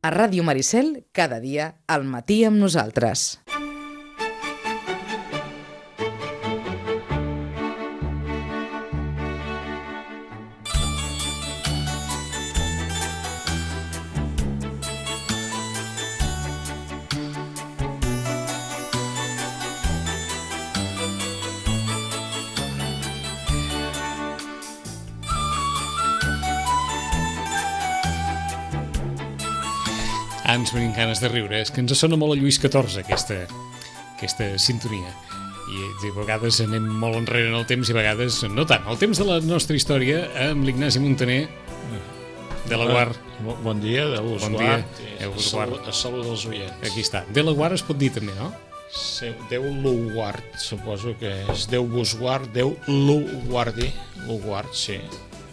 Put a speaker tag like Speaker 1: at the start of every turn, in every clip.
Speaker 1: A Ràdio Maricel, cada dia, al matí amb nosaltres.
Speaker 2: Ens venim ganes de riure, és que ens sona molt a Lluís XIV aquesta sintonia i a vegades anem molt enrere en el temps i a vegades no tant. El temps de la nostra història amb l'Ignasi Montaner de la Guard.
Speaker 3: Bon dia, de l'Usguard.
Speaker 2: A
Speaker 3: salut dels oients.
Speaker 2: Aquí està. De la Guard es pot dir també, no?
Speaker 3: Déu l'Uguard, suposo que és Déu vos guard, Déu l'Uguardi. L'Uguard, sí,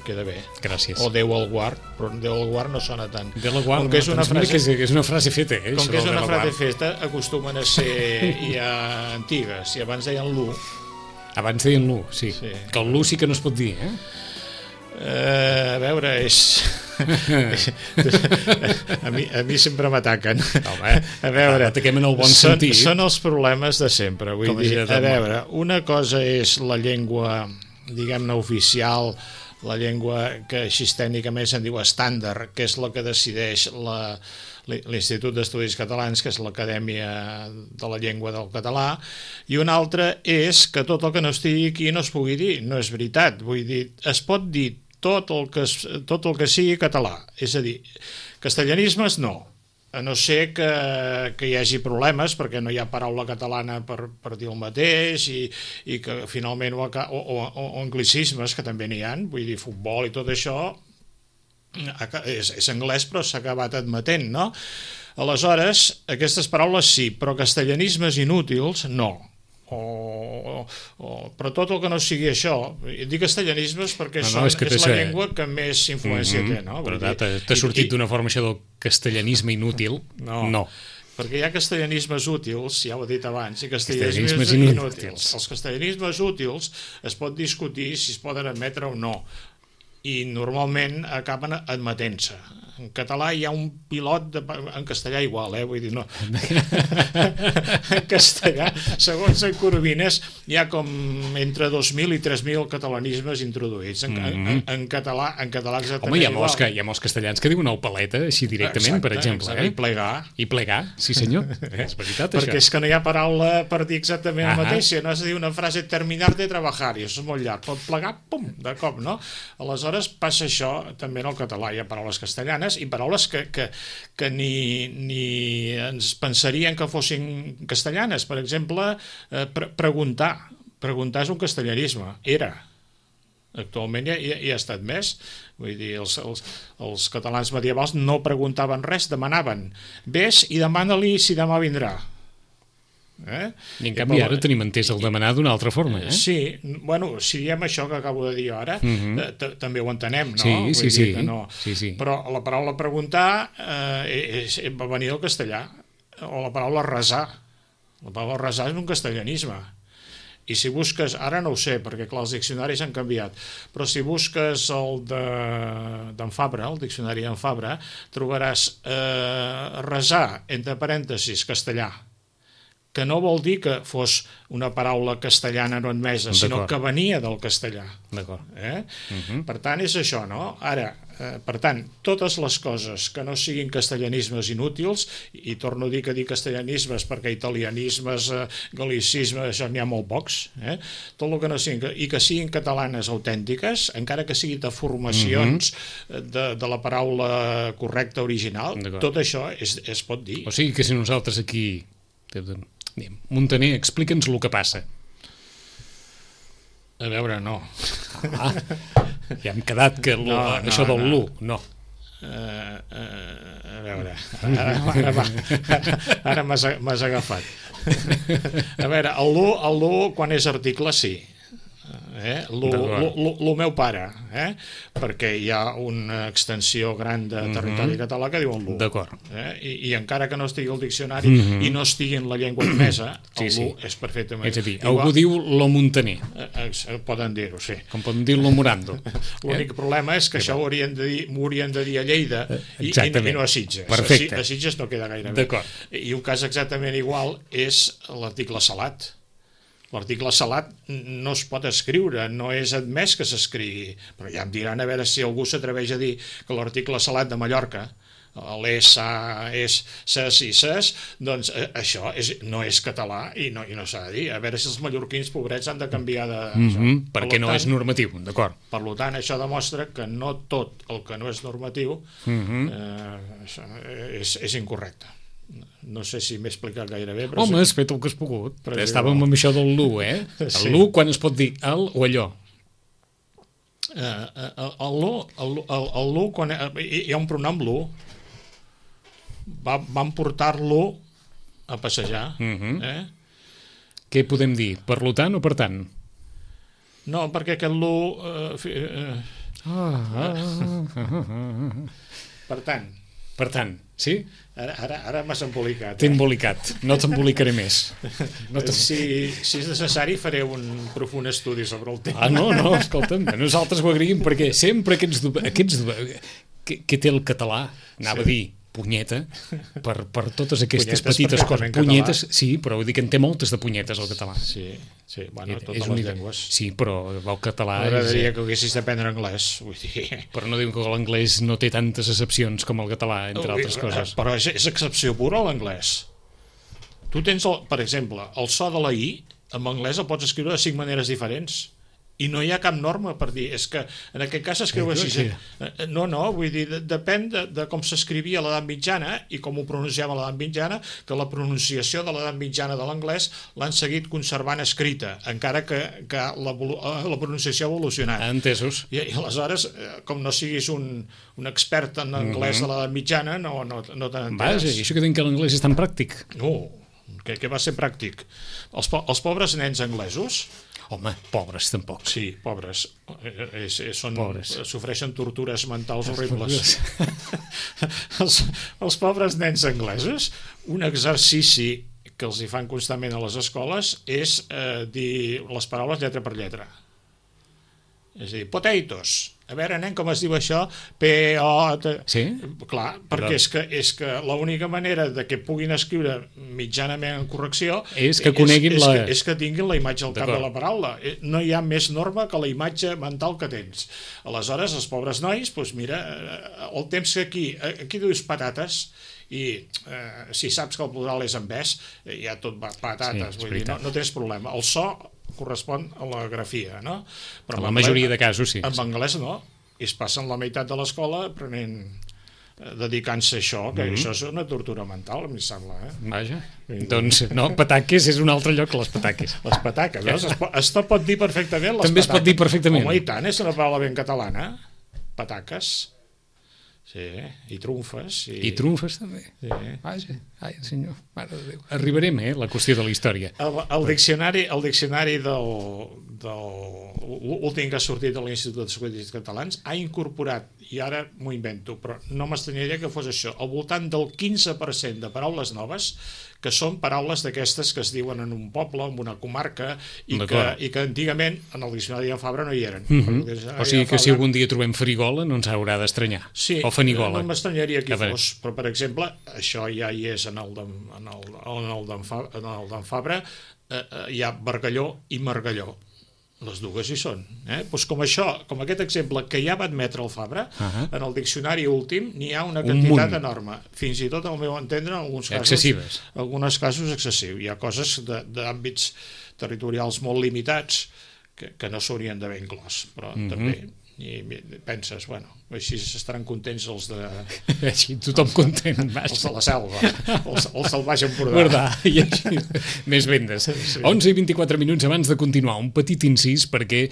Speaker 3: queda bé.
Speaker 2: Gràcies.
Speaker 3: O Déu el guard, però Déu el guard no sona tant.
Speaker 2: De la Guard,
Speaker 3: que és una
Speaker 2: frase feta,
Speaker 3: com que és una frase feta, acostumen a ser ja antigues, i abans deien l'U.
Speaker 2: Abans deien l'U, sí. Que el l'U sí que no es pot dir, eh?
Speaker 3: A veure, a mi sempre m'ataquen. A veure,
Speaker 2: ataquem en el bon sentit.
Speaker 3: Són els problemes de sempre. Vull dir, a veure, una cosa és la llengua, diguem-ne, oficial, la llengua que així tècnicament se'n diu estàndard, que és la que decideix l'Institut d'Estudis Catalans, que és l'Acadèmia de la Llengua del Català, i una altra és que tot el que no estigui aquí no es pugui dir. No és veritat. Vull dir, es pot dir tot el que sigui català. És a dir, castellanismes no, a no ser que hi hagi problemes perquè no hi ha paraula catalana per dir el mateix i que finalment o anglicismes, que també n'hi ha, vull dir, futbol i tot això és anglès però s'ha acabat admetent, no? Aleshores, aquestes paraules sí, però castellanismes inútils no. Però tot el que no sigui això, dic castellanismes perquè és la llengua que més influència té, no?
Speaker 2: Però t'ha sortit d'una forma això del castellanisme inútil? No.
Speaker 3: Perquè hi ha castellanismes útils, ja ho he dit abans, i castellanismes inútils. Els castellanismes útils es pot discutir si es poden admetre o no, i normalment acaben admetent-se. En català hi ha un pilot, en castellà igual, vull dir, no. En castellà, segons en Coromines, hi ha com entre 2.000 i 3.000 catalanismes introduïts. En català exactament
Speaker 2: igual. Home, hi ha molts castellans que diuen el paleta, així directament, per exemple.
Speaker 3: I plegar.
Speaker 2: I plegar, sí senyor. És veritat, això.
Speaker 3: Perquè és que no hi ha paraula per dir exactament el mateix. Si no has de dir una frase, terminar de treballar, i això és molt llarg. Pot plegar, pum, de cop, no? Aleshores passa això també en el català. Hi ha paraules castellanes i paraules que ni ens pensarien que fossin castellanes. Per exemple, preguntar. Preguntar és un castellanisme. Era. Actualment ja ha estat més. Vull dir, els catalans medievals no preguntaven res, demanaven. Ves i demana-li si demà vindrà.
Speaker 2: I en canvi ara tenim entès el demanar d'una altra forma.
Speaker 3: Sí, bueno, si diem això que acabo de dir ara, també ho entenem, no?
Speaker 2: Sí.
Speaker 3: Però la paraula preguntar va venir del castellà, o la paraula resar. La paraula resar és un castellanisme. I si busques, ara no ho sé, perquè clar, els diccionaris han canviat, però si busques el d'en Fabra, el diccionari d'en Fabra, trobaràs resar, entre parèntesis, castellà, que no vol dir que fos una paraula castellana no admesa, sinó que venia del castellà.
Speaker 2: D'acord.
Speaker 3: Per tant, és això, no? Ara, per tant, totes les coses que no siguin castellanismes inútils, i torno a dir que dic castellanismes perquè italianismes, galicismes, això n'hi ha molt pocs, tot el que no siguin, i que siguin catalanes autèntiques, encara que siguin deformacions de la paraula correcta original, tot això es pot dir.
Speaker 2: O sigui que si nosaltres aquí... Montaner, explica'ns el que passa.
Speaker 3: A veure, no.
Speaker 2: Ja hem quedat que això del l'u, no.
Speaker 3: A veure, ara m'has agafat. A veure, el l'u quan és article sí. el meu pare, perquè hi ha una extensió gran de territori català que diuen l'U.
Speaker 2: D'acord.
Speaker 3: I encara que no estigui al diccionari i no estigui en la llengua admesa, l'U és perfectament...
Speaker 2: És a dir, algú diu lo montaner.
Speaker 3: Poden dir-ho, sí.
Speaker 2: Com poden dir lo morando.
Speaker 3: L'únic problema és que això m'ho haurien de dir a Lleida i no a Sitges.
Speaker 2: Perfecte.
Speaker 3: A Sitges no queda gaire bé.
Speaker 2: D'acord.
Speaker 3: I un cas exactament igual és l'article salat. L'article salat no es pot escriure, no és admès que s'escrigui, però ja em diran a veure si algú s'atreveix a dir que l'article salat de Mallorca, l'ESA és ses i ses, doncs això no és català i no s'ha de dir. A veure si els mallorquins pobrets han de canviar de...
Speaker 2: perquè no és normatiu, d'acord.
Speaker 3: Per tant, això demostra que no tot el que no és normatiu és incorrecte. No sé si m'he explicat gaire bé, però...
Speaker 2: Home, has fet el que has pogut. Estàvem amb això del l'U, El l'U, quan es pot dir el o allò?
Speaker 3: El l'U, quan hi ha un pronom l'U, vam portar-lo a passejar.
Speaker 2: Què podem dir? Per lo tant o per tant?
Speaker 3: No, perquè aquest l'U... Per tant.
Speaker 2: Per tant, sí?
Speaker 3: Ara m'has embolicat.
Speaker 2: T'he embolicat, no t'embolicaré més.
Speaker 3: Si és necessari faré un profund estudi sobre el tema.
Speaker 2: No, escolta'm, nosaltres ho agraïm perquè sempre què té el català, anava a dir punyeta, per totes aquestes petites coses. Punyetes, sí, però vull dir que en té moltes de punyetes el català.
Speaker 3: Sí, bueno, totes les llengües.
Speaker 2: Sí, però el català...
Speaker 3: M'agradaria que haguessis d'aprendre anglès, vull dir...
Speaker 2: Però no diuen que l'anglès no té tantes excepcions com el català, entre altres coses.
Speaker 3: Però és excepció pura l'anglès. Tu tens, per exemple, el so de la I, en anglès el pots escriure de 5 maneres diferents. I no hi ha cap norma per dir, és que en aquest cas s'escriu així. No, vull dir, depèn de com s'escrivia a l'edat mitjana i com ho pronunciava a l'edat mitjana, que la pronunciació de l'edat mitjana de l'anglès l'han seguit conservant escrita, encara que la pronunciació ha evolucionat.
Speaker 2: Entesos.
Speaker 3: I aleshores, com no siguis un expert en anglès de l'edat mitjana, no te n'enteres.
Speaker 2: Vaja, i això que diuen que l'anglès és tan pràctic.
Speaker 3: No, que va ser pràctic. Els pobres nens anglesos...
Speaker 2: Home, pobres tampoc.
Speaker 3: Sí, pobres. Sofreixen tortures mentals horribles. Els pobres nens anglesos, un exercici que els hi fan constantment a les escoles és dir les paraules lletra per lletra. És a dir, potatoes. A veure, nen, com es diu això? P-O...
Speaker 2: Sí?
Speaker 3: Clar, perquè és que l'única manera de que puguin escriure mitjanament en correcció
Speaker 2: és que coneguin
Speaker 3: és que tinguin la imatge al cap de la paraula. No hi ha més norma que la imatge mental que tens. Aleshores, els pobres nois, doncs mira, el temps que aquí dius patates i si saps que el plural és en ves, ja tot va patates, vull dir, no tens problema. El so correspon a la grafia, no?
Speaker 2: Però en la majoria de casos, sí.
Speaker 3: En anglès no, i es passen la meitat de l'escola dedicant-se a això, que això és una tortura mental, em sembla.
Speaker 2: Vaja, doncs no, pataques és un altre lloc que les pataques.
Speaker 3: Les pataques, veus? Es pot dir perfectament les
Speaker 2: també pataques. Es pot dir perfectament.
Speaker 3: Home, i tant, és una paraula ben catalana. Pataques. Sí, i trumfes.
Speaker 2: I trumfes també.
Speaker 3: Sí.
Speaker 2: Vaja, ai, senyor, mare de Déu. Arribarem, la qüestió de la història.
Speaker 3: El diccionari l'últim que ha sortit de l'Institut d'Estudis Catalans ha incorporat, i ara m'ho invento, però no m'estranyaria que fos això, al voltant del 15% de paraules noves que són paraules d'aquestes que es diuen en un poble, en una comarca, i que antigament en el diccionari de Fabra no hi eren.
Speaker 2: O sigui que si algun dia trobem farigola no ens haurà d'estranyar.
Speaker 3: Sí,
Speaker 2: o fanigola.
Speaker 3: No m'estranyaria qui fos, però per exemple, això ja hi és en el d'en Fabra, hi ha Bargalló i Margalló. Les dues hi són. Doncs com aquest exemple que ja va admetre el Fabra, en el diccionari últim n'hi ha una quantitat enorme. Fins i tot, al meu entendre, en alguns casos excessius. Hi ha coses d'àmbits territorials molt limitats que no s'haurien d'haver inclòs, però també... I penses, bueno, així estaran contents els de...
Speaker 2: Així tothom content.
Speaker 3: Els de la selva, els del Baix Empordà.
Speaker 2: I així, més vendes. 11 i 24 minuts abans de continuar, un petit incís perquè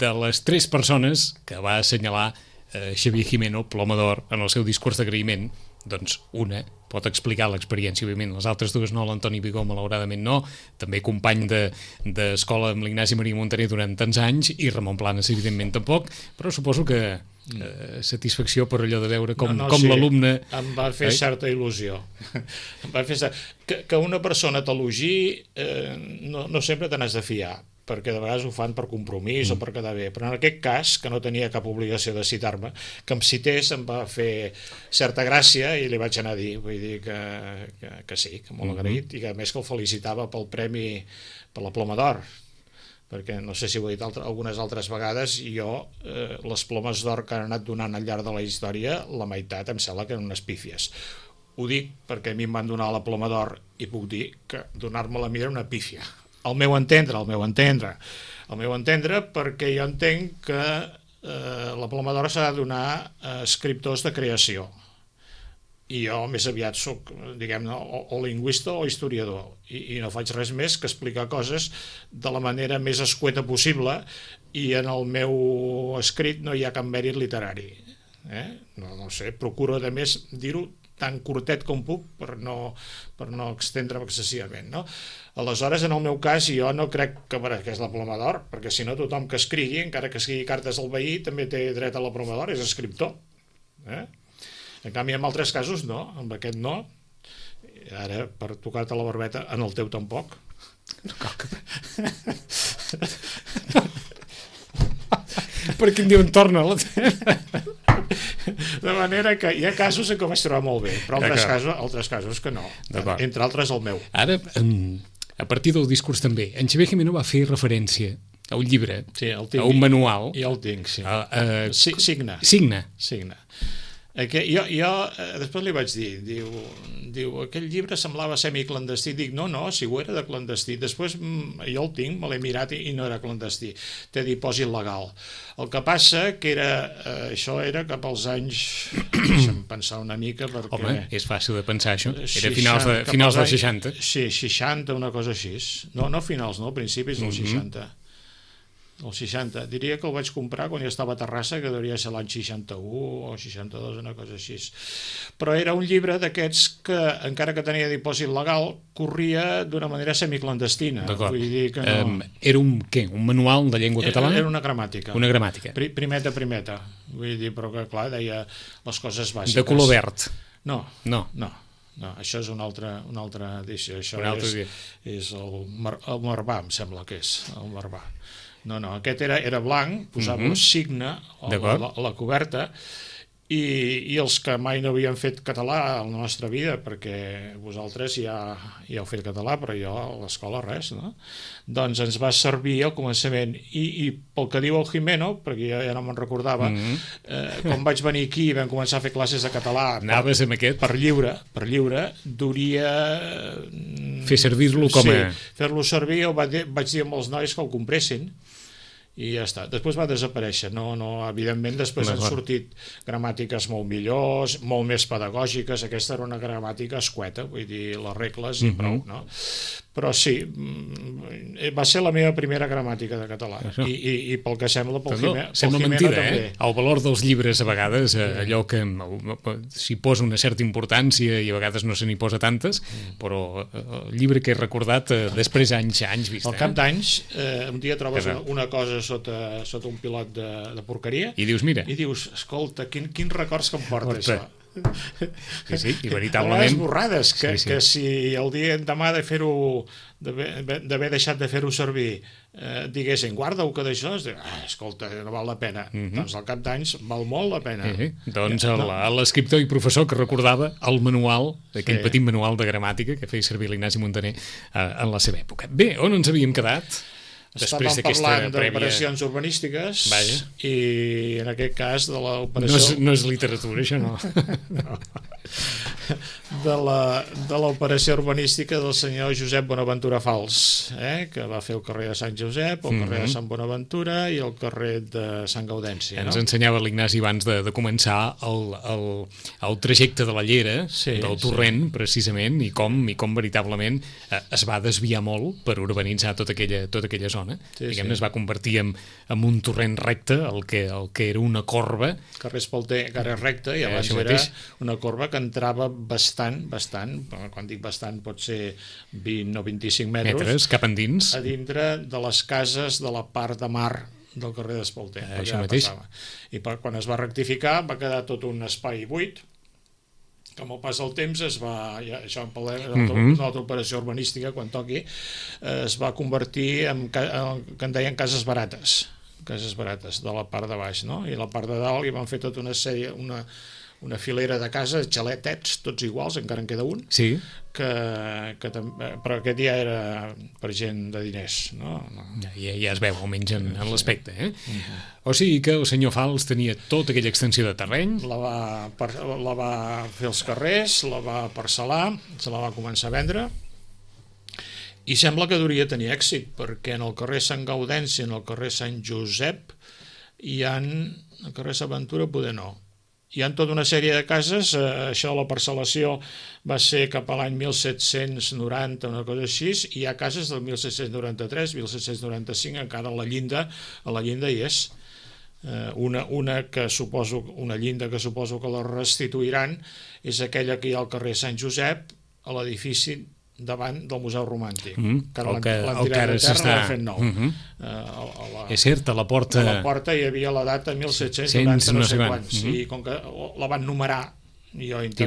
Speaker 2: de les 3 persones que va assenyalar Xavier Jimeno, Ploma d'Or, en el seu discurs d'agraïment, doncs una pot explicar l'experiència, òbviament, les altres dues no, l'Antoni Vigó malauradament no, també company d'escola amb l'Ignasi Maria Montaner durant tants anys, i Ramon Planes evidentment tampoc, però suposo que satisfacció per allò de veure com
Speaker 3: sí,
Speaker 2: l'alumne...
Speaker 3: Em va fer certa il·lusió. Em va fer que una persona t'elogi no sempre te n'has de fiar, perquè de vegades ho fan per compromís o per quedar bé, però en aquest cas, que no tenia cap obligació de citar-me, que em cités em va fer certa gràcia i li vaig anar a dir, vull dir que sí, que molt agraït, i que a més que el felicitava pel premi, per la Ploma d'Or, perquè no sé si ho he dit algunes altres vegades, jo les plomes d'or que han anat donant al llarg de la història, la meitat em sembla que eren unes pífies. Ho dic perquè a mi em van donar la Ploma d'Or i puc dir que donar-me-la a mi era una pífia. Al meu entendre, perquè jo entenc que la Ploma d'Or s'ha de donar a escriptors de creació. I jo més aviat soc, diguem-ne, o lingüista o historiador, i no faig res més que explicar coses de la manera més escueta possible, i en el meu escrit no hi ha cap mèrit literari. No sé, procuro a més dir-ho tan curtet com puc per no extendre'm excessivament, no? Aleshores, en el meu cas, jo no crec que és la Ploma d'Or, perquè si no tothom que escrigui, encara que escrigui cartes al veí, també té dret a la Ploma d'Or, és escriptor. En canvi, en altres casos no, amb aquest no. Ara, per tocar-te la barbeta, en el teu tampoc.
Speaker 2: No cal que... Perquè em diuen torna la
Speaker 3: de manera que hi ha casos en què ho vaig trobar molt bé, però altres casos que no, entre altres el meu.
Speaker 2: Ara, a partir del discurs també, en Xavier Gimeno va fer referència a un llibre,
Speaker 3: sí,
Speaker 2: a un manual.
Speaker 3: Ja el tinc, sí. Signa. Jo després li vaig dir, diu, aquell llibre semblava semiclandestí. Dic, no, si ho era de clandestí. Després jo el tinc, me l'he mirat i no era clandestí. Té dipòsit legal. El que passa que això era cap als anys, deixa'm pensar una mica, perquè...
Speaker 2: Home, és fàcil de pensar això. Era finals dels 60.
Speaker 3: Sí, 60, una cosa així. No finals, no, principis dels 60. El 60, diria que el vaig comprar quan jo estava a Terrassa, que devia ser l'any 61 o 62, una cosa així. Però era un llibre d'aquests que, encara que tenia dipòsit legal, corria d'una manera semiclandestina.
Speaker 2: D'acord.
Speaker 3: Vull dir que no...
Speaker 2: Era un manual de llengua catalana?
Speaker 3: Era una gramàtica.
Speaker 2: Una gramàtica.
Speaker 3: Primeta. Vull dir, però que, clar, deia les coses bàsiques.
Speaker 2: De color verd?
Speaker 3: No, això és una altra edició. Això és el Marbà, em sembla que és, el Marbà. No, aquest era blanc, posava signe a la coberta, i els que mai no havien fet català a la nostra vida, perquè vosaltres ja heu fet català, però jo a l'escola res, no? Doncs ens va servir al començament, i pel que diu el Gimeno, perquè jo ja no me'n recordava, quan vaig venir aquí i vam començar a fer classes de català per lliure, duria...
Speaker 2: Fer servir-lo com a...
Speaker 3: Sí, fer-lo servir, vaig dir amb els nois que el compressin, i ja està. Després va desaparèixer. No, evidentment, després han sortit gramàtiques molt millors, molt més pedagògiques. Aquesta era una gramàtica escueta, vull dir, les regles i prou, no? Però sí, va ser la meva primera gramàtica de català. I pel que sembla, pel
Speaker 2: Sembla mentida, també. El valor dels llibres, a vegades, allò que s'hi posa una certa importància i a vegades no se n'hi posa tantes, però el llibre que he recordat després anys vist.
Speaker 3: Al cap d'anys, un dia trobes una cosa sota un pilot de porqueria i dius, escolta, quins records que em porta això.
Speaker 2: Sí, i veritablement
Speaker 3: borrades, que si el dia demà d'haver deixat de fer-ho servir diguessin, guarda-ho que d'això, escolta, no val la pena. Doncs al cap d'anys val molt la pena.
Speaker 2: Doncs l'escriptor i professor que recordava el manual, aquell petit manual de gramàtica que feia servir l'Ignasi Montaner en la seva època. Bé, on ens havíem quedat?
Speaker 3: Estàvem parlant d'operacions urbanístiques i en aquest cas de l'operació...
Speaker 2: No és literatura, això no.
Speaker 3: de l'operació urbanística del senyor Josep Bonaventura Fals, que va fer el carrer de Sant Josep, el carrer de Sant Bonaventura i el carrer de Sant Gaudenci.
Speaker 2: Ens ensenyava l'Ignasi abans de començar el trajecte de la llera, del torrent, precisament, i com veritablement es va desviar molt per urbanitzar tota aquella zona. Diguem-ne, es va convertir en un torrent recte, el que era una corba.
Speaker 3: Carrer Espalter, carrer recte, i abans era una corba que entrava bastant, quan dic bastant pot ser 20 o 25 metres
Speaker 2: cap endins,
Speaker 3: a dintre de les cases de la part de mar del carrer d'Espalter.
Speaker 2: Això mateix.
Speaker 3: I quan es va rectificar va quedar tot un espai buit, que amb el pas del temps això en parlem d'una altra operació urbanística, quan toqui, es va convertir en que en deien cases barates de la part de baix, no? I la part de dalt hi van fer tota una sèrie, una filera de cases, xaletets, tots iguals, encara en queda un, però aquest ja era per gent de diners, no?
Speaker 2: Ja es veu, almenys en l'aspecte, O sigui que el senyor Fals tenia tota aquella extensió de terreny.
Speaker 3: La va fer els carrers, la va parcel·lar, se la va començar a vendre, i sembla que hauria de tenir èxit, perquè en el carrer Sant Gaudenci, en el carrer Sant Josep, el carrer S'Aventura poder no. Hi ha tota una sèrie de cases, això de la parcel·lació va ser cap a l'any 1790, una cosa així, i hi ha cases del 1793, 1795, encara a la llinda hi és. Una llinda que suposo que la restituiran és aquella que hi ha al carrer Sant Josep, a l'edifici davant del Museu Romàntic, que l'antirat de terra l'ha fet nou.
Speaker 2: És cert, a la porta
Speaker 3: hi havia la data 1790 no sé quants, i com que la van numerar,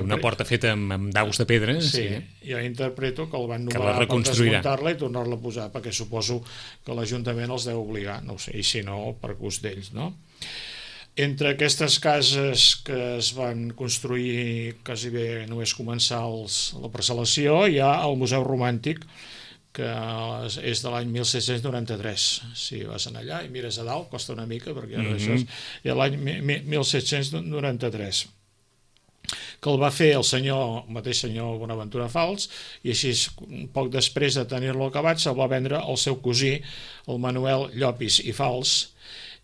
Speaker 2: una porta feta amb daus de pedra,
Speaker 3: jo interpreto que el van numerar per desmuntar-la i tornar-la a posar, perquè suposo que l'Ajuntament els deu obligar, no ho sé, i si no, per gust d'ells, no? Entre aquestes cases que es van construir quasi bé només començar la parcel·lació, hi ha el Museu Romàntic, que és de l'any 1793. Si vas allà i mires a dalt, costa una mica, perquè això és l'any 1793, que el va fer el mateix senyor Bonaventura Fals, i així poc després de tenir-lo acabat se'l va vendre al seu cosí, el Manuel Llopis i Fals,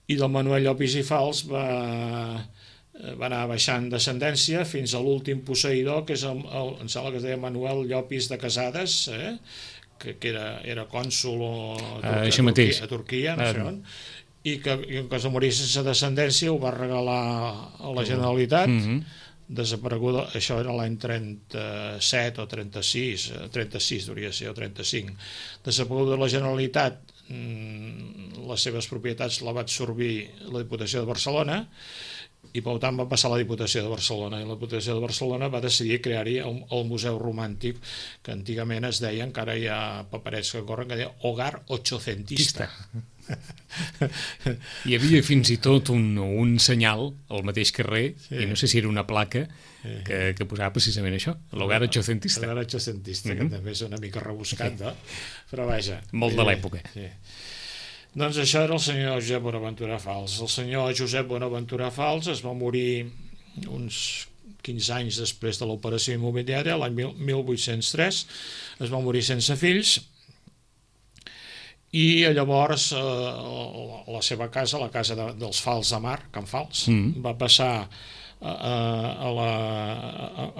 Speaker 3: i del Manuel Llopis i Fals va anar baixant descendència fins a l'últim posseïdor, que és em sembla que es deia Manuel Llopis de Casades, que era cònsol a Turquia, no sé on, i que en cas de morir sense descendència ho va regalar a la Generalitat, desapareguda, això era l'any 37 o 36 hauria de ser, o 35, desapareguda la Generalitat, les seves propietats la va absorbir la Diputació de Barcelona, i per tant va passar a la Diputació de Barcelona, i la Diputació de Barcelona va decidir crear-hi el Museu Romàntic, que antigament es deia, encara hi ha paperets que corren, que deia Hogar Ochocentista.
Speaker 2: Hi havia fins i tot un senyal al mateix carrer, i no sé si era una placa, que posava precisament això, l'Hogar Ochocentista.
Speaker 3: L'Hogar Ochocentista, que també és una mica rebuscat, però vaja.
Speaker 2: Molt de l'època.
Speaker 3: Doncs això era el senyor Josep Bonaventura Fals. El senyor Josep Bonaventura Fals es va morir uns 15 anys després de l'operació immobiliària, l'any 1803, es va morir sense fills, i llavors la seva casa, la casa dels Fals de Mar, Can Fals, va passar a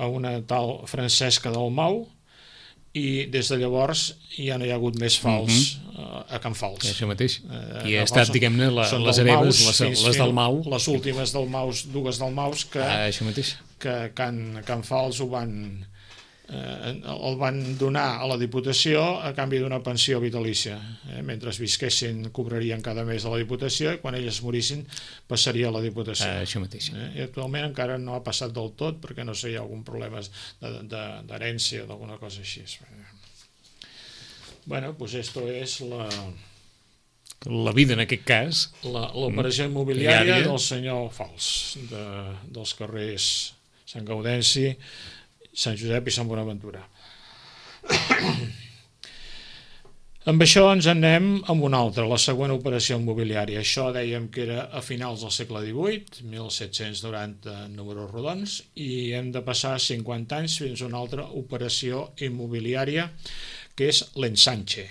Speaker 3: una tal Francesca Dalmau, i des de llavors ja no hi ha hagut més Fals a Can Fals.
Speaker 2: Això mateix. I ha estat, diguem-ne, les hereves, les Dalmau.
Speaker 3: Les últimes Dalmaus, dues Dalmaus, que Can Fals el van donar a la Diputació a canvi d'una pensió vitalícia. Mentre visquessin cobrarien cada mes a la Diputació, i quan elles morissin passaria a la Diputació.
Speaker 2: Això mateix.
Speaker 3: I actualment encara no ha passat del tot, perquè no sé, hi ha algun problema d'herència o d'alguna cosa així. Bueno, pues esto es
Speaker 2: la vida en aquest cas.
Speaker 3: L'operació immobiliària del senyor Fals, dels carrers Sant Gaudenci, Sant Josep i Sant Bonaventura. Amb això ens anem amb una altra, la següent operació immobiliària. Això dèiem que era a finals del segle XVIII, 1790 números rodons, i hem de passar 50 anys fins a una altra operació immobiliària, que és l'ensanche.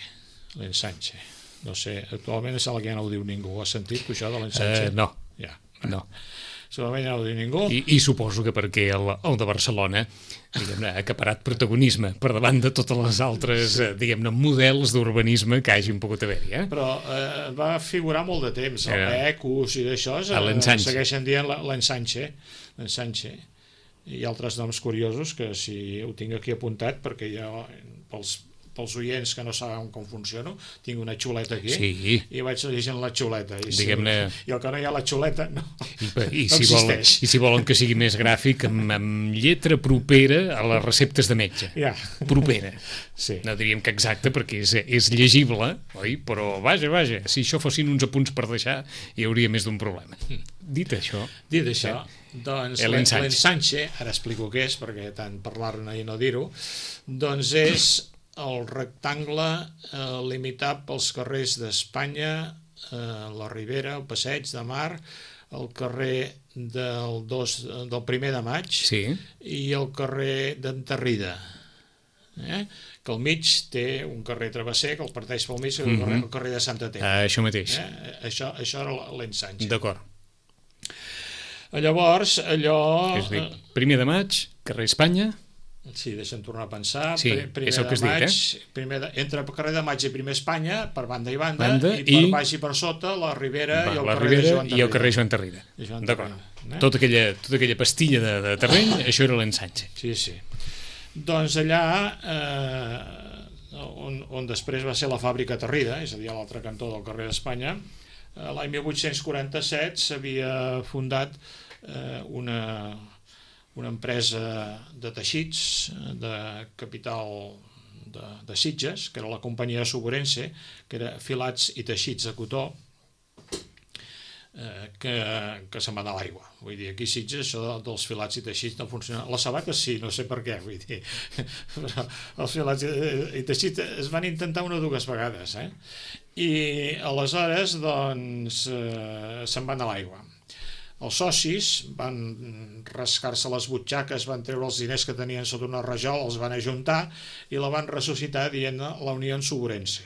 Speaker 3: L'ensanche. No sé, actualment sembla que ja no ho diu ningú. Has sentit això de l'ensanche?
Speaker 2: No.
Speaker 3: Ja.
Speaker 2: No.
Speaker 3: Segurament ja no ho diu ningú.
Speaker 2: I suposo que perquè el de Barcelona, diguem-ne, ha acaparat protagonisme per davant de totes les altres, diguem-ne, models d'urbanisme que hagin pogut haver-hi.
Speaker 3: Però va figurar molt de temps, el Becus i d'això, segueixen dient l'ensanche. Hi ha altres noms curiosos que si ho tinc aquí apuntat, perquè jo, pels oients que no saben com funciono, tinc una xuleta aquí, i vaig llegint la xuleta, i el que no hi ha la xuleta no existeix.
Speaker 2: I si volen que sigui més gràfic, amb lletra propera a les receptes de metge. Propera. No diríem que exacte, perquè és llegible, oi? Però vaja, si això fossin uns apunts per deixar, hi hauria més d'un problema. Dit això,
Speaker 3: doncs l'ensanche, ara explico què és, perquè tant parlar-ne i no dir-ho, doncs és el rectangle limitat pels carrers d'Espanya, la Ribera, el Passeig de Mar, el carrer del 1er de maig i el carrer d'Enterrida, que al mig té un carrer travesser que el parteix pel mig, el carrer de Santa Tecla.
Speaker 2: Això mateix.
Speaker 3: Això era l'ensanche.
Speaker 2: D'acord.
Speaker 3: Llavors, allò...
Speaker 2: 1er de maig, carrer Espanya...
Speaker 3: Sí, deixa'm tornar a pensar.
Speaker 2: Sí, és el que has dit,
Speaker 3: entre el carrer de Maig i primer Espanya, per banda i banda, i per baix i per sota, la Ribera i el carrer
Speaker 2: Joan Tarrida. D'acord. Tota aquella pastilla de terreny, això era l'ensanche.
Speaker 3: Sí. Doncs allà, on després va ser la fàbrica Tarrida, és a dir, a l'altre cantó del carrer d'Espanya, l'any 1847 s'havia fundat una empresa de teixits de capital de Sitges, que era la companyia Suburense, que era filats i teixits de cotó, que se'n va anar a l'aigua. Vull dir, aquí a Sitges això dels filats i teixits no funciona. Les sabates sí, no sé per què, vull dir. Però els filats i teixits es van intentar una o dues vegades, i aleshores doncs se'n van a l'aigua. Els socis van rascar-se les butxaques, van treure els diners que tenien sota una rajola, els van ajuntar i la van ressuscitar dient-ne la Unió Suburense,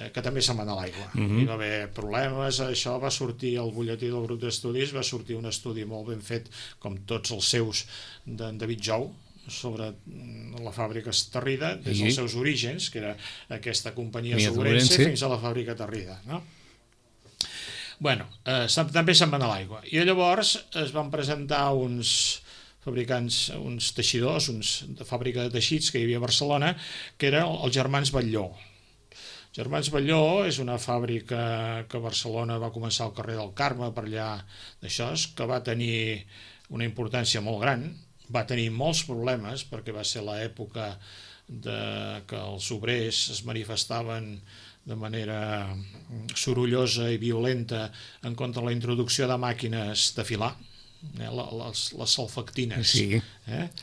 Speaker 3: que també se'n va anar a l'aigua. Hi va haver problemes, això va sortir al butlletí del grup d'estudis, va sortir un estudi molt ben fet, com tots els seus, d'en David Jou, sobre la fàbrica Tarrida, des dels seus orígens, que era aquesta companyia Suburense, fins a la fàbrica Tarrida, no? Bueno, també se'n van a l'aigua. I llavors es van presentar uns fabricants, uns teixidors, de fàbrica de teixits que hi havia a Barcelona, que eren els germans Batlló. Germans Batlló és una fàbrica que a Barcelona va començar al carrer del Carme, per allà d'això, que va tenir una importància molt gran, va tenir molts problemes, perquè va ser l'època que els obrers es manifestaven de manera sorollosa i violenta en contra de la introducció de màquines de filar, les salfactines.
Speaker 2: Sí,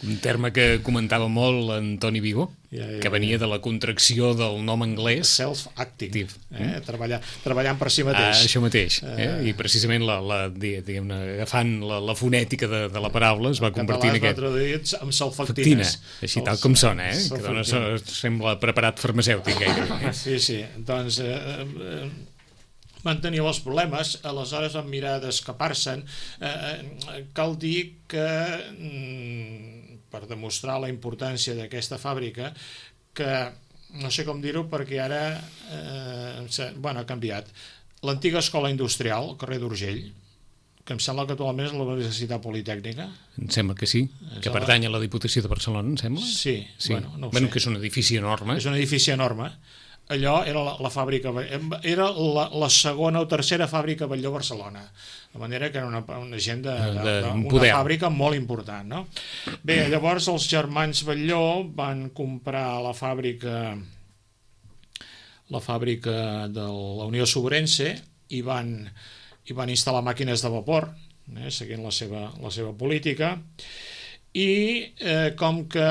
Speaker 2: un terme que comentava molt Antoni Vigo, que venia de la contracció del nom anglès.
Speaker 3: Self-acting, treballant per si mateix.
Speaker 2: Això mateix, i precisament agafant la fonètica de la paraula es va convertir en aquest...
Speaker 3: traduït amb salfactines.
Speaker 2: Així tal com sona, que dona, sembla preparat farmacèutic gairebé.
Speaker 3: Sí, doncs... van tenir els problemes, aleshores van mirar d'escapar-se'n. Cal dir que, per demostrar la importància d'aquesta fàbrica, que, no sé com dir-ho, perquè ara ha canviat. L'antiga escola industrial, al carrer d'Urgell, que em sembla que actualment és la Universitat Politècnica.
Speaker 2: Em sembla que sí, que pertany a la Diputació de Barcelona, em sembla?
Speaker 3: Sí.
Speaker 2: No ho sé. Que és un edifici enorme.
Speaker 3: És un edifici enorme. Allò era la fàbrica, era la segona o tercera fàbrica Batlló a Barcelona, de manera que era una gent d'una fàbrica molt important, no? Bé, llavors els germans Batlló van comprar la fàbrica de la Unió Suburense i van instal·lar màquines de vapor, seguint la seva política, i com que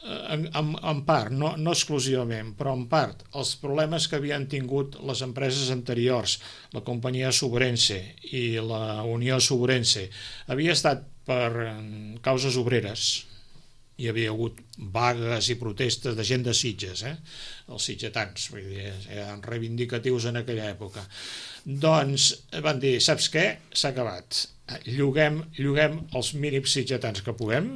Speaker 3: en part, no exclusivament, però en part, els problemes que havien tingut les empreses anteriors, la companyia Subrense i la Unió Subrense, havia estat per causes obreres. Hi havia hagut vagues i protestes de gent de Sitges, els sitgetans, vull dir, eren reivindicatius en aquella època. Doncs van dir, saps què? S'ha acabat. Lloguem els mínims sitgetans que puguem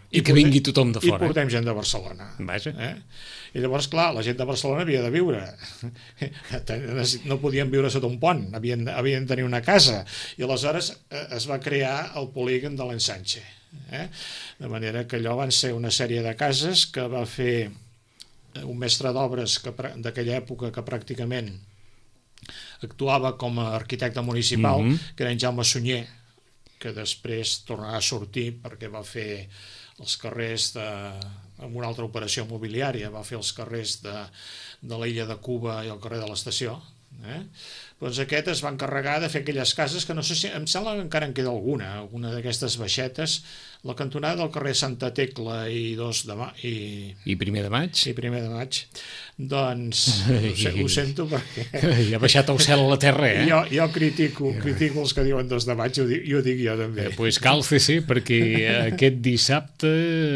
Speaker 2: i que vingui tothom de fora.
Speaker 3: I portem gent de Barcelona. I llavors, clar, la gent de Barcelona havia de viure. No podien viure sota un pont, havien de tenir una casa. I aleshores es va crear el polígon de l'Ensanche. De manera que allò van ser una sèrie de cases que va fer un mestre d'obres d'aquella època que pràcticament actuava com a arquitecte municipal, que era en Jaume Sunyer, que després tornarà a sortir perquè va fer els carrers amb una altra operació immobiliària, va fer els carrers de l'illa de Cuba i el carrer de l'Estació. Doncs aquest es va encarregar de fer aquelles cases que no sé si, em sembla que encara en queda alguna d'aquestes baixetes, la cantonada del carrer Santa Tecla i 2 de maig
Speaker 2: i Primer de Maig.
Speaker 3: I Primer de Maig. Doncs ho sento perquè
Speaker 2: ha baixat el cel a la terra,
Speaker 3: jo critico els que diuen 2 de maig i ho dic jo també.
Speaker 2: Pues càlcese, perquè aquest dissabte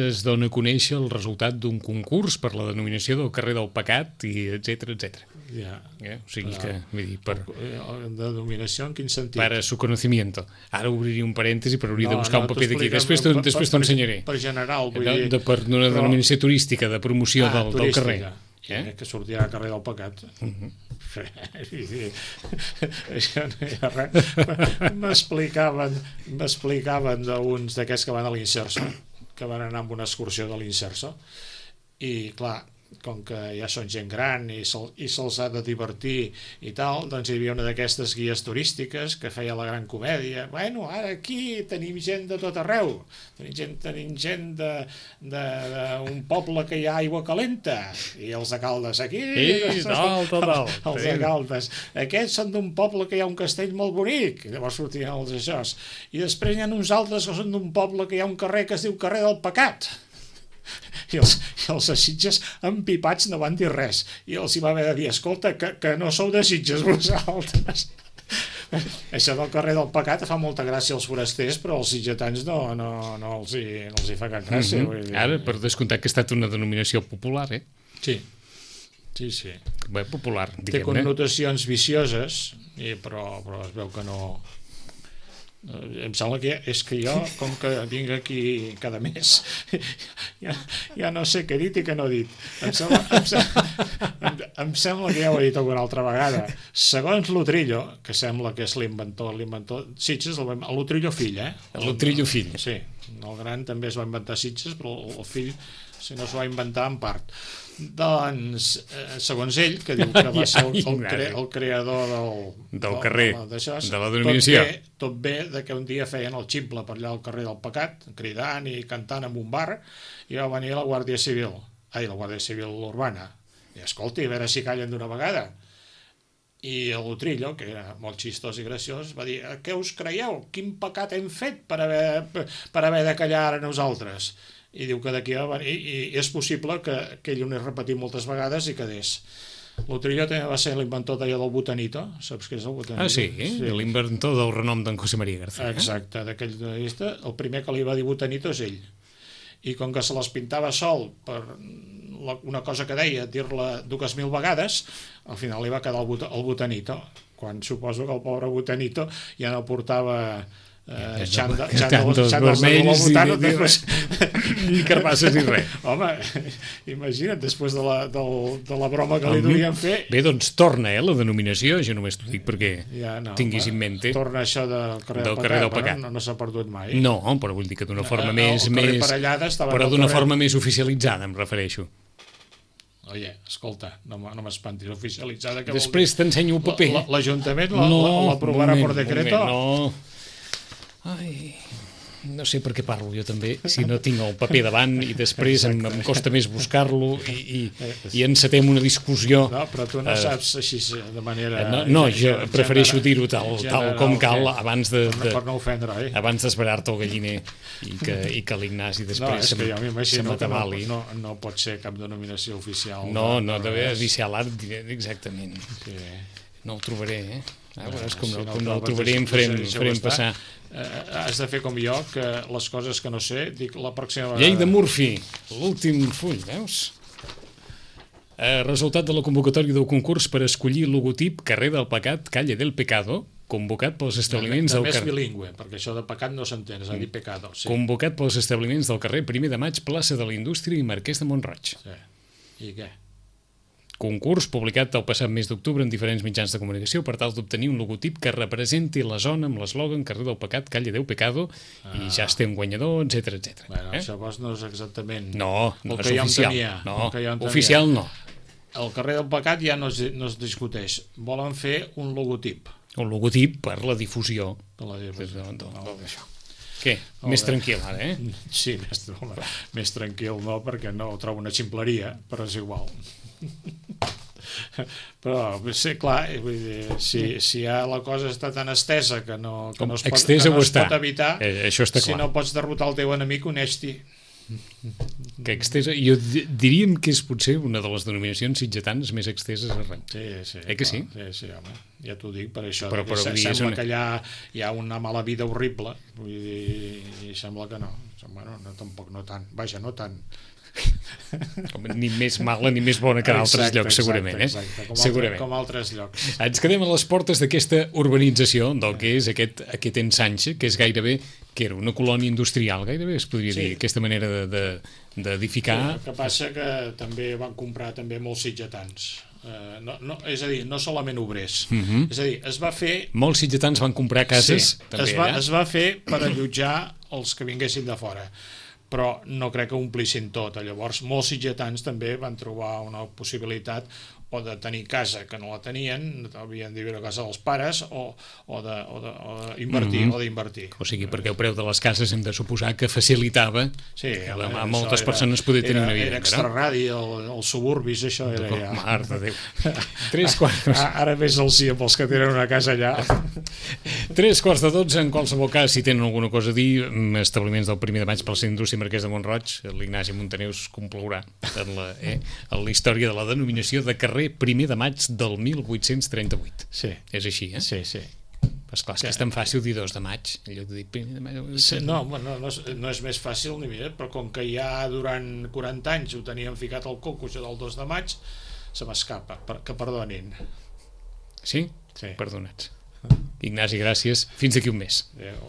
Speaker 2: es dona a conèixer el resultat d'un concurs per la denominació del carrer del Pecat i etcètera. O sigui que, vull dir, per
Speaker 3: denominació en quin sentit?
Speaker 2: Para su conocimiento. Ara obriria un parèntesi, però hauria de buscar un paper d'aquí. Després t'ho ensenyaré.
Speaker 3: Per general, vull dir.
Speaker 2: Per una denominació turística, de promoció del carrer.
Speaker 3: Que sortirà al carrer del Pecat. Això no hi ha res. M'explicaven d'uns d'aquests que van a l'Inserso, que van anar amb una excursió de l'Inserso, i clar, com que ja són gent gran i se'ls ha de divertir i tal, doncs hi havia una d'aquestes guies turístiques que feia la gran comèdia. Bueno, ara aquí tenim gent de tot arreu, tenim gent d'un poble que hi ha aigua calenta, i els de Caldes aquí, els de Caldes, aquests són d'un poble que hi ha un castell molt bonic, llavors sortien els aixòs, i després hi ha uns altres que són d'un poble que hi ha un carrer que es diu carrer del Pecat. I els de Sitges empipats no van dir res, i els hi va haver de dir, escolta, que no sou de Sitges vosaltres. Això del carrer del Pecat fa molta gràcia als forasters, però als sitgetans no els hi fa cap gràcia.
Speaker 2: Ara, per descomptat que ha estat una denominació popular,
Speaker 3: Sí.
Speaker 2: Bé, popular, diguem-ne.
Speaker 3: Té connotacions vicioses, però es veu que no. Em sembla que és que jo, com que vinc aquí cada mes, ja no sé què he dit i què no he dit. Em sembla que ja ho he dit alguna altra vegada. Segons l'Utrillo, que sembla que és l'inventor Sitges, l'Utrillo fill,
Speaker 2: L'Utrillo fill.
Speaker 3: Sí, el gran també es va inventar Sitges, però el fill si no s'ho va inventar en part. Doncs, segons ell, que diu que va ser el creador
Speaker 2: del carrer, de la denominació,
Speaker 3: tot ve de que un dia feien el ximple per allà al carrer del Pecat, cridant i cantant en un bar, i va venir la Guàrdia Civil Urbana, i escolti, a veure si callen d'una vegada. I l'Utrillo, que era molt xistós i graciós, va dir, què us creieu? Quin pecat hem fet per haver de callar ara nosaltres? I diu que d'aquí i és possible que ell ho n'hi repetit moltes vegades i quedés. L'Utrillo també va ser l'inventor d'allò del Botanito, saps què és el Botanito?
Speaker 2: Sí, l'inventor del renom d'en José María García.
Speaker 3: Exacte, d'aquell llista, el primer que li va dir Botanito és ell. I com que se les pintava sol per una cosa que deia, dir-la 2.000 vegades, al final li va quedar el Botanito, quan suposo que el pobre Botanito ja no portava
Speaker 2: xandals vermells ni carbasses ni res.
Speaker 3: Home, imagina't, després de la broma que li volien fer.
Speaker 2: Bé, doncs torna la denominació, jo només t'ho dic perquè tinguis en mente.
Speaker 3: Torna això del carrer del Pecat. No s'ha perdut mai.
Speaker 2: No, però vull dir que d'una forma més oficialitzada, em refereixo.
Speaker 3: Oye, escolta, no m'espantis, oficialitzada.
Speaker 2: Després t'ensenyo el paper.
Speaker 3: L'Ajuntament l'aprovarà per decreto?
Speaker 2: No. Ai, No sé per què parlo jo també, si no tinc el paper davant i després em costa més buscar-lo i encetem una discussió.
Speaker 3: No, però tu no saps així de manera...
Speaker 2: No, jo prefereixo dir-ho tal com cal abans
Speaker 3: per no ofendre,
Speaker 2: abans d'esperar-te el galliner i que l'Ignasi després
Speaker 3: se
Speaker 2: m'atabali.
Speaker 3: No pot ser cap denominació oficial.
Speaker 2: No, deve ser l'art, exactament. No ho trobaré, veuràs com no el trobaré em farem passar.
Speaker 3: Has de fer com jo, que les coses que no sé, dic la pròxima vegada.
Speaker 2: Llei de Murphy, l'últim full, veus? Resultat de la convocatòria del concurs per escollir logotip Carrer del Pecat, Calle del Pecado, convocat pels establiments del carrer...
Speaker 3: També és bilingüe, perquè això de pecat no s'entén, és a dir pecado.
Speaker 2: Convocat pels establiments del carrer 1 de Maig, plaça de la Indústria i Marquès de Mont-roig.
Speaker 3: I què?
Speaker 2: Concurs publicat el passat mes d'octubre en diferents mitjans de comunicació per tal d'obtenir un logotip que representi la zona amb l'eslògan Carrer del Pecat, Calle del Pecado, i ja es té un guanyador, etc.
Speaker 3: Bueno, llavors no és exactament...
Speaker 2: No és oficial. No, oficial no.
Speaker 3: El Carrer del Pecat ja no es discuteix. Volen fer un logotip.
Speaker 2: Un logotip per la difusió.
Speaker 3: D'això.
Speaker 2: Què? Més tranquil ara,
Speaker 3: Sí, més tranquil no, perquè no ho trobo una ximpleria, però és igual. Però sí, clar, vull dir, si ja la cosa està tan estesa que no es pot evitar,
Speaker 2: això està clar.
Speaker 3: Si no pots derrotar el teu enemic, uneix-t'hi.
Speaker 2: Que extesa, jo diríem que és potser una de les denominacions sitgetanes més exteses arreu.
Speaker 3: Sí,
Speaker 2: que sí?
Speaker 3: Sí, home, ja t'ho dic per això,
Speaker 2: però
Speaker 3: sembla que allà hi ha una mala vida horrible, vull dir, i sembla que no. Bueno, tampoc no tant, vaja, no tant.
Speaker 2: Ni més mala ni més bona que en altres llocs, segurament.
Speaker 3: Segurament. Com altres llocs.
Speaker 2: Ens quedem a les portes d'aquesta urbanització del que és aquest ensanxe, que és gairebé, que era una colònia industrial, gairebé es podria dir, aquesta manera d'edificar.
Speaker 3: El que passa que també van comprar també molts sitgetans. És a dir, no solament obrers. És a dir, es va fer...
Speaker 2: Molts sitgetans van comprar cases també allà.
Speaker 3: Es va fer per allotjar els que vinguessin de fora, però no crec que omplissin tot. Llavors molts sitgetans també van trobar una possibilitat o de tenir casa que no la tenien, havien de viure a casa dels pares, o d'invertir.
Speaker 2: O sigui, perquè el preu de les cases hem de suposar que facilitava a moltes persones poder tenir una vida.
Speaker 3: Era extraradi, els suburbis, això era ja...
Speaker 2: Mare de Déu. 3/4.
Speaker 3: Ara ves el sí amb els que tenen una casa allà.
Speaker 2: 11:45, en qualsevol cas, si tenen alguna cosa a dir, establiments del 1 de maig per la Indústria Marquès de Mont-roig, l'Ignasi Montaner us complaurà en la història de la denominació de carrer 1 de maig del 1838.
Speaker 3: Sí.
Speaker 2: És així,
Speaker 3: Sí.
Speaker 2: Però esclar, és que és tan fàcil dir 2 de maig, en lloc de dir 1 de maig.
Speaker 3: No és més fàcil ni més, però com que ja durant 40 anys ho tenien ficat al coco, això del 2 de maig, se m'escapa, que perdonin.
Speaker 2: Sí? Perdonats. Ignasi, gràcies. Fins d'aquí un mes.
Speaker 3: Adéu.